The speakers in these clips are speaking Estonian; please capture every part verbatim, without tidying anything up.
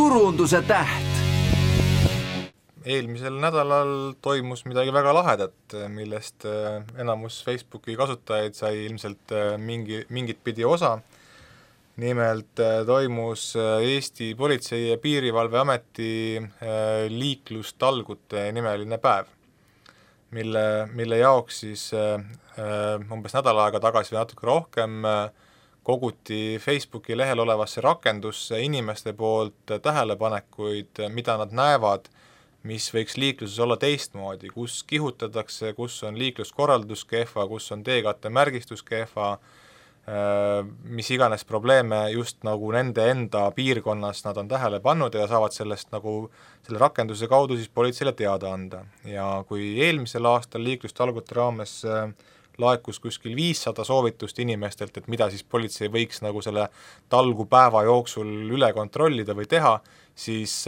turunduse täht. Eelmisel nädalal toimus midagi väga lahedat, millest enamus Facebooki kasutajaid sai ilmselt mingi, mingit pidi osa. Nimelt toimus Eesti Politsei- ja Piirivalveameti liiklustalgute nimeline päev, mille, mille jaoks siis umbes nädal aega tagasi või natuke rohkem koguti Facebooki lehel olevasse rakendusse inimeste poolt tähelepanekuid, mida nad näevad, mis võiks liikluses olla teistmoodi, kus kihutatakse, kus on liikluskorraldus kehva, kus on teekatte märgistus kehva, mis iganes probleeme just nagu nende enda piirkonnas nad on tähele pannud ja saavad sellest nagu selle rakenduse kaudu siis politseile teada anda. Ja kui eelmisel aastal liiklustalgute raames laekus kuskil viissada soovitust inimestelt, et mida siis politsei võiks nagu selle talgupäeva jooksul üle kontrollida või teha, siis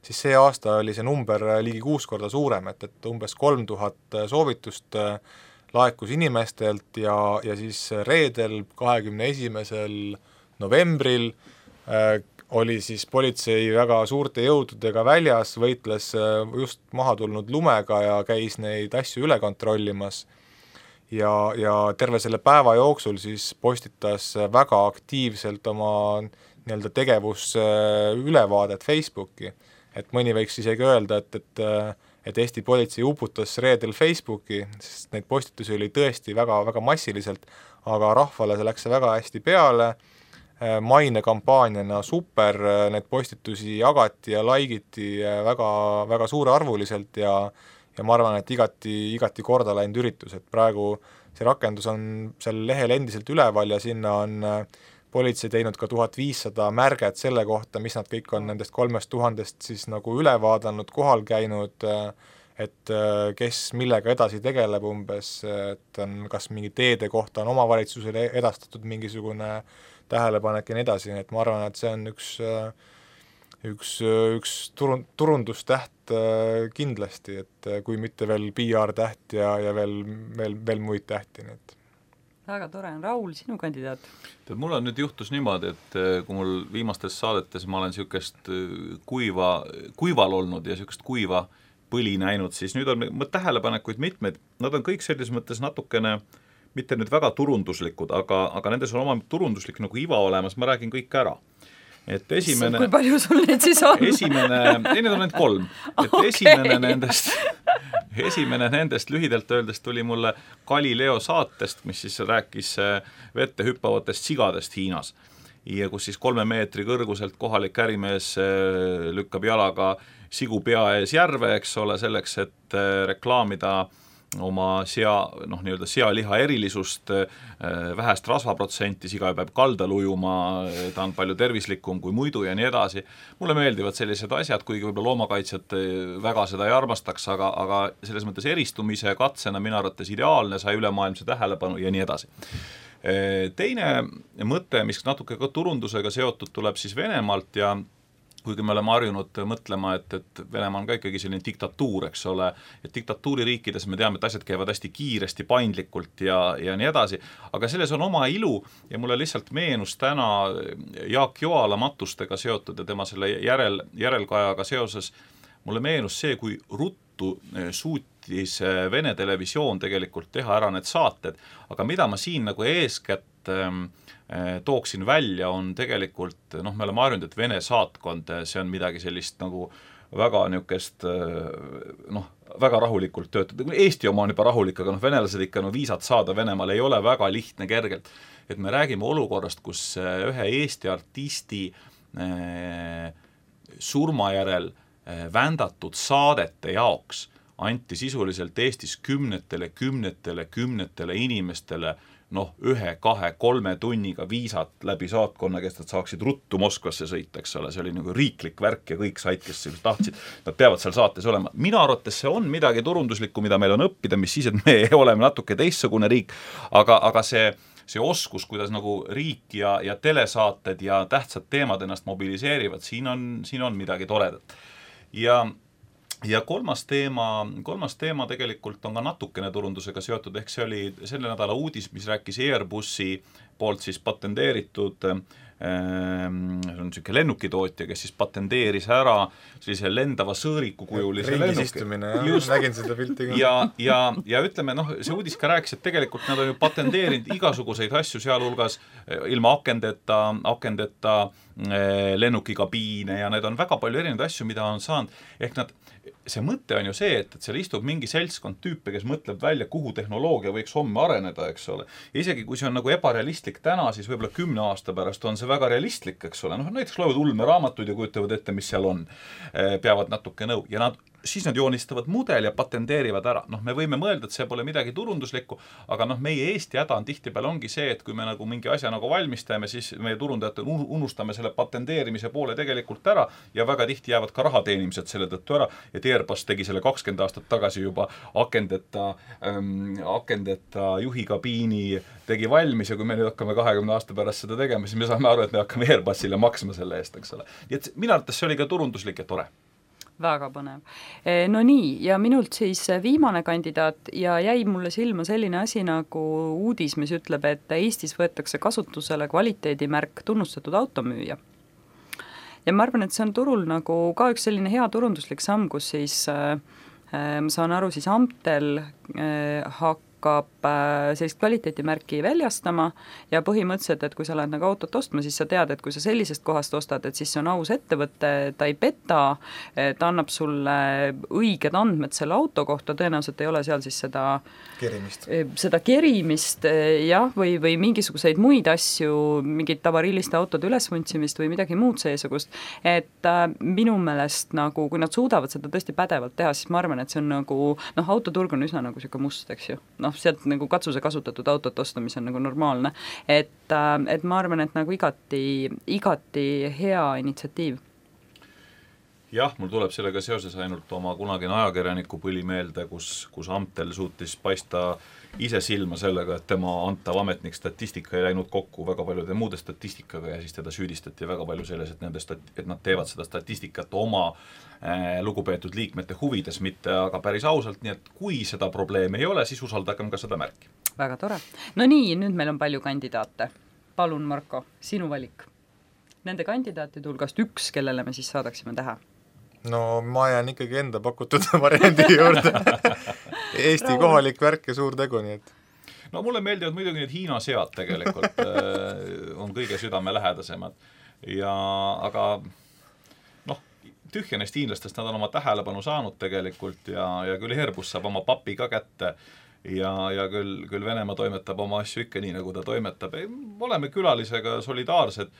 siis see aasta oli see number ligi kuus korda suurem, et, et umbes kolm tuhat soovitust laekus inimestelt ja, ja siis reedel, kahekümne esimesel novembril äh, oli siis politsei väga suurte jõududega väljas, võitles just maha tulnud lumega ja käis neid asju üle kontrollimas. Ja, ja terve selle päeva jooksul siis postitas väga aktiivselt oma nii-öelda tegevus ülevaadet Facebooki. Et mõni võiks isegi öelda, et, et, et Eesti politsei uputas reedel Facebooki, sest neid postitusi oli tõesti väga, väga massiliselt, aga rahvale see läks väga hästi peale, maine kampaaniana super, need postitusi jagati ja laikiti väga, väga suurearvuliselt ja, ja ma arvan, et igati, igati korda läinud üritus, et praegu see rakendus on seal lehel endiselt üleval ja sinna on politsei teinud ka tuhat viissada märget selle kohta, mis nad kõik on nendest kolmest tuhandest siis nagu üle vaadanud, kohal käinud, et kes millega edasi tegeleb umbes, et on kas mingi teede kohta on omavalitsusele edastatud mingisugune tähelepanek ja nii edasi, et ma arvan, et see on üks, üks, üks turun, turundustäht kindlasti, et kui mitte veel P R-täht ja, ja veel, veel, veel muid tähti, nii et väga tore on. Raul, sinu kandidaat? Tead, mul on nüüd juhtus niimoodi, et kui mul viimastes saadetes ma olen niisugust kuiva, kuival olnud ja niisugust kuiva põli näinud, siis nüüd on tähelepanekuid mitmeid, nad on kõik selles mõttes natukene, mitte nüüd väga turunduslikud, aga, aga nendes on oma turunduslik nagu iva olemas, ma räägin kõik ära. Et esimene, kui palju sul need siis on? Esimene, ei, need on need kolm. Et okay. esimene nendest, esimene nendest lühidalt öeldes tuli mulle Galileo saatest, mis siis rääkis vette hüppavatest sigadest Hiinas. Ja kus siis kolme meetri kõrguselt kohalik ärimees lükkab jalaga sigu pea ees järve, eks ole, selleks, et reklaamida oma sea, noh, nii-öelda sealiha erilisust, vähest rasvaprotsenti, siga peab kaldal ujuma, ta on palju tervislikum kui muidu ja nii edasi. Mulle meeldivad sellised asjad, kuigi võib-olla loomakaitsjad väga seda ei armastaks, aga, aga selles mõttes eristumise katsena minu arvates ideaalne, sai ülemaailmse tähelepanu ja nii edasi. Teine mõte, mis natuke ka turundusega seotud, tuleb siis Venemaalt ja kuigi me oleme harjunud mõtlema, et, et Venemaa on ka ikkagi selline diktatuur, eks ole, et diktatuuririikides me teame, et asjad käivad hästi kiiresti, paindlikult ja, ja nii edasi, aga selles on oma ilu ja mulle lihtsalt meenus täna Jaak Joala matustega seotud ja tema selle järel, järelkajaga seoses, mulle meenus see, kui ruttu suutis Vene televisioon tegelikult teha ära need saated, aga mida ma siin nagu eeskätt tooksin välja, on tegelikult, noh, me oleme harjunud, et Vene saatkond, see on midagi sellist nagu väga niukest, noh, väga rahulikult töötada. Eesti oma on juba rahulik, aga noh, venelased ikka no, viisat saada Venemaal ei ole väga lihtne kergelt. Et me räägime olukorrast, kus ühe Eesti artisti eh, surmajärel eh, vändatud saadete jaoks anti sisuliselt Eestis kümnetele, kümnetele, kümnetele inimestele noh, ühe, kahe, kolme tunniga viisat läbi saatkonna, kes nad saaksid ruttu Moskvasse sõita, eks ole, see oli nagu riiklik värk ja kõik said, kes tahtsid, nad peavad seal saates olema. Mina arvates see on midagi turunduslikku, mida meil on õppida, mis siis, et me oleme natuke teistsugune riik, aga, aga see, see oskus, kuidas nagu riik ja, ja telesaated ja tähtsad teemad ennast mobiliseerivad, siin on, siin on midagi toredat. Ja Ja kolmas teema, kolmas teema tegelikult on ka natukene turundusega seotud, ehk see oli selle nädala uudis, mis rääkis Airbusi poolt siis patenteeritud see on niisugune lennukitootja, kes siis patenteeris ära sellise lendava sõõriku kujulise ringis lennuki. istumine, jah, nägin seda pilti ka. Ja, ja, ja ütleme, noh, see uudis ka rääkis, et tegelikult nad on ju patenteerinud igasuguseid asju, sealhulgas ilma akendeta, akendeta lennukikabiine ja need on väga palju erinevaid asju, mida on saanud, ehk nad see mõte on ju see, et, et seal istub mingi seltskond tüüpe, kes mõtleb välja, kuhu tehnoloogia võiks homme areneda, eks ole. Ja isegi kui see on nagu ebarealistlik täna, siis võib-olla kümne aasta pärast on see väga realistlik, eks ole. Noh, näiteks loevad ulmeraamatuid ja kujutavad ette, mis seal on. Peavad natuke nõu. Ja nad siis nad joonistavad mudel ja patenteerivad ära. Noh, me võime mõelda, et see pole midagi turunduslikku, aga noh, meie Eesti häda on tihtipeale ongi see, et kui me nagu mingi asja nagu valmistame, siis meie turundajad unustame selle patenteerimise poole tegelikult ära ja väga tihti jäävad ka rahateenimised selle tõttu ära. Et Airbus tegi selle kakskümmend aastat tagasi juba akendeta, ähm, akendeta juhikabiini tegi valmis ja kui me nüüd hakkame kahekümne aasta pärast seda tegema, siis me saame aru, et me hakkame Airbusile maksma selle eest, eks ole. Nii et minu arvates see oli ka turunduslik ja tore. Väga põnev. No nii, ja minult siis viimane kandidaat ja jäi mulle silma selline asi nagu uudis, mis ütleb, et Eestis võetakse kasutusele kvaliteedimärk tunnustatud automüüja. Ja ma arvan, et see on turul nagu ka üks selline hea turunduslik samm, kus siis äh, ma saan aru, siis Amtel äh, hakkab sellist kvaliteetimärki väljastama ja põhimõtteliselt, et kui sa lähed nagu autot ostma, siis sa tead, et kui sa sellisest kohast ostad, et siis see on aus ettevõte, ta ei peta, ta annab sulle õiged andmed selle auto kohta, tõenäoliselt ei ole seal siis seda kerimist, seda kerimist jah, või, või mingisuguseid muid asju, mingit tavarilliste autode ülesvuntsimist või midagi muud seesugust, et äh, minu meelest nagu, kui nad suudavad seda tõesti pädevalt teha, siis ma arvan, et see on nagu, noh, autoturg on üsna nagu siuke must, eks ju, noh, sealt nagu katsuse kasutatud autot osta, mis on nagu normaalne, et, et ma arvan, et nagu igati, igati hea initsiatiiv. Jah, mul tuleb sellega seoses ainult oma kunagine ajakirjaniku põli meelde, kus, kus Amtel suutis paista ise silma sellega, et tema antav ametnik statistika ei läinud kokku väga paljude muude statistikaga ja siis teda süüdistati väga palju selles, et, nende stat- et nad teevad seda statistikat oma äh, lugupeetud liikmete huvides, mitte aga päris ausalt, nii et kui seda probleemi ei ole, siis usaldagem ka seda märki. Väga tore. No nii, nüüd meil on palju kandidaate. Palun, Marko, sinu valik. Nende kandidaatide hulgast üks, kellele me siis saadaksime tähe. No ma jään ikkagi enda pakutud variandi juurde. Eesti Raul. Kohalik värk ja suur tegu, nii et no mulle meeldivad muidugi need Hiina sead tegelikult on kõige südamelähedasemad ja aga noh, tühja neist hiinlastest nad on oma tähelepanu saanud tegelikult ja, ja küll Airbus saab oma papi ka kätte ja, ja küll, küll Venemaa toimetab oma asju ikka nii, nagu ta toimetab. Oleme külalisega solidaarsed.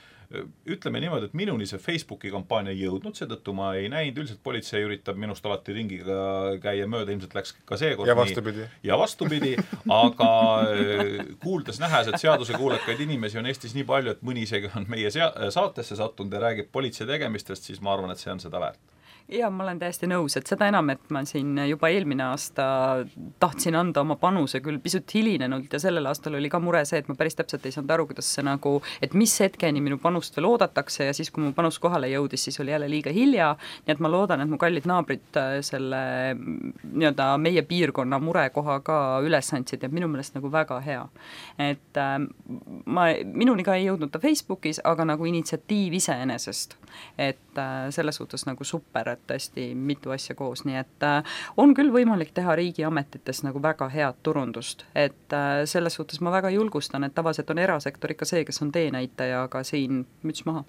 Ütleme niimoodi, et minuni see Facebooki kampaania ei jõudnud, seetõttu ma ei näinud, üldiselt politsei üritab minust alati ringiga käia mööda, ilmselt läks ka seekord ja vastupidi. Nii, ja vastupidi, aga kuuldes nähes, et seaduse kuulekaid inimesi on Eestis nii palju, et mõni isegi on meie saatesse sattunud ja räägib politsei tegemistest, siis ma arvan, et see on seda väärt. Ja ma olen täiesti nõus, et seda enam, et ma siin juba eelmine aasta tahtsin anda oma panuse küll pisut hilinenult ja sellel aastal oli ka mure see, et ma päris täpselt ei saanud aru, kuidas see nagu, et mis hetkeni minu panust veel oodatakse ja siis, kui mu panus kohale jõudis, siis oli jälle liiga hilja, nii et ma loodan, et mu kallid naabrid selle nii-öelda meie piirkonna murekoha ka üles andsid ja minu meelest nagu väga hea. Et äh, ma, minuni ka ei jõudnud ta Facebookis, aga nagu initsiatiiv iseenesest, et äh, selles suhtes nagu super, et tõesti mitu asja koos, nii et äh, on küll võimalik teha riigiametites nagu väga head turundust, et äh, selles suhtes ma väga julgustan, et tavaliselt on erasektor ikka see, kes on teenäitaja, aga siin müts maha.